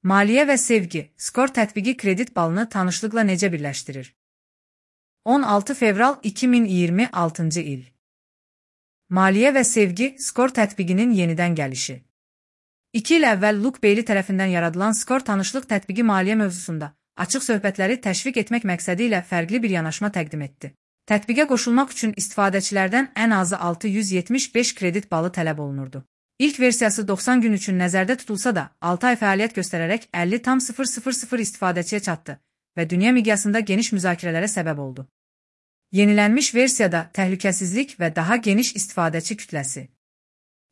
Maliyyə və sevgi, skor tətbiqi kredit balını tanışlıqla necə birləşdirir? 16 fevral 2026 il. Maliyyə və sevgi, skor tətbiqinin yenidən gəlişi. 2 il əvvəl Luke Bailey tərəfindən yaradılan skor tanışlıq tətbiqi maliyyə mövzusunda açıq söhbətləri təşviq etmək məqsədi ilə fərqli bir yanaşma təqdim etdi. Tətbiqə qoşulmaq üçün istifadəçilərdən ən azı 675 kredit balı tələb olunurdu. İlk versiyası 90 gün üçün nəzərdə tutulsa da, 6 ay fəaliyyət göstərərək 50,000 istifadəçiyə çatdı və dünya miqyasında geniş müzakirələrə səbəb oldu. Yenilənmiş versiyada təhlükəsizlik və daha geniş istifadəçi kütləsi.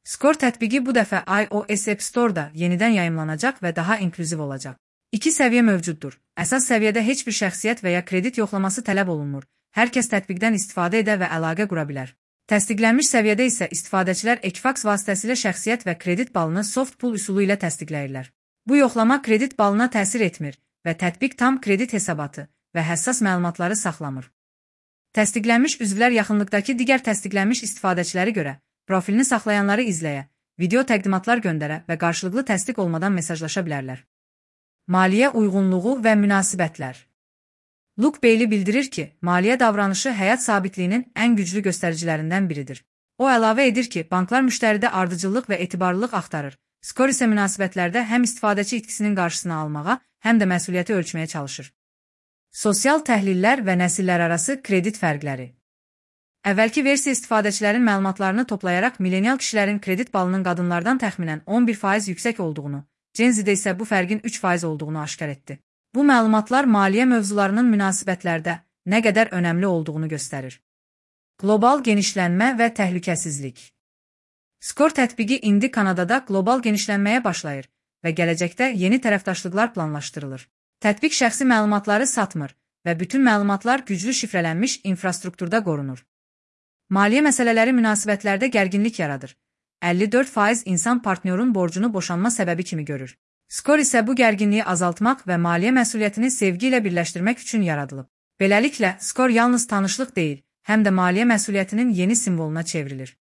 Skor tətbiqi bu dəfə iOS App Store-da yenidən yayımlanacaq və daha inklüziv olacaq. 2 səviyyə mövcuddur. Əsas səviyyədə heç bir şəxsiyyət və ya kredit yoxlaması tələb olunmur. Hər kəs tətbiqdən istifadə edə və əlaqə qura bilər. Təsdiqlənmiş səviyyədə isə istifadəçilər Equifax vasitəsilə şəxsiyyət və kredit balını soft pull üsulu ilə təsdiqləyirlər. Bu yoxlama kredit balına təsir etmir və tətbiq tam kredit hesabatı və həssas məlumatları saxlamır. Təsdiqlənmiş üzvlər yaxınlıqdakı digər təsdiqlənmiş istifadəçiləri görə profilini saxlayanları izləyə, video təqdimatlar göndərə və qarşılıqlı təsdiq olmadan mesajlaşa bilərlər. Maliyyə uyğunluğu və münasibətlər. Luke Bailey bildirir ki, maliyyə davranışı həyat sabitliyinin ən güclü göstəricilərindən biridir. O əlavə edir ki, banklar müştəridə ardıcıllıq və etibarlılıq axtarır. Skor isə münasibətlərdə həm istifadəçi itkisinin qarşısını almağa, həm də məsuliyyəti ölçməyə çalışır. Sosial təhlillər və nəsillər arası kredit fərqləri. Əvvəlki versiya istifadəçilərin məlumatlarını toplayaraq millenial kişilərin kredit balının qadınlardan təxminən 11% yüksək olduğunu, Gen Z-də isə bu fərqin 3% olduğunu aşkar etdi. Bu məlumatlar maliyyə mövzularının münasibətlərdə nə qədər önəmli olduğunu göstərir. Qlobal genişlənmə və təhlükəsizlik. Skor tətbiqi indi Kanadada qlobal genişlənməyə başlayır və gələcəkdə yeni tərəfdaşlıqlar planlaşdırılır. Tətbiq şəxsi məlumatları satmır və bütün məlumatlar güclü şifrələnmiş infrastrukturda qorunur. Maliyyə məsələləri münasibətlərdə gərginlik yaradır. 54% insan partnyorun borcunu boşanma səbəbi kimi görür. Skor isə bu gərginliyi azaltmaq və maliyyə məsuliyyətini sevgi ilə birləşdirmək üçün yaradılıb. Beləliklə, skor yalnız tanışlıq deyil, həm də maliyyə məsuliyyətinin yeni simvoluna çevrilir.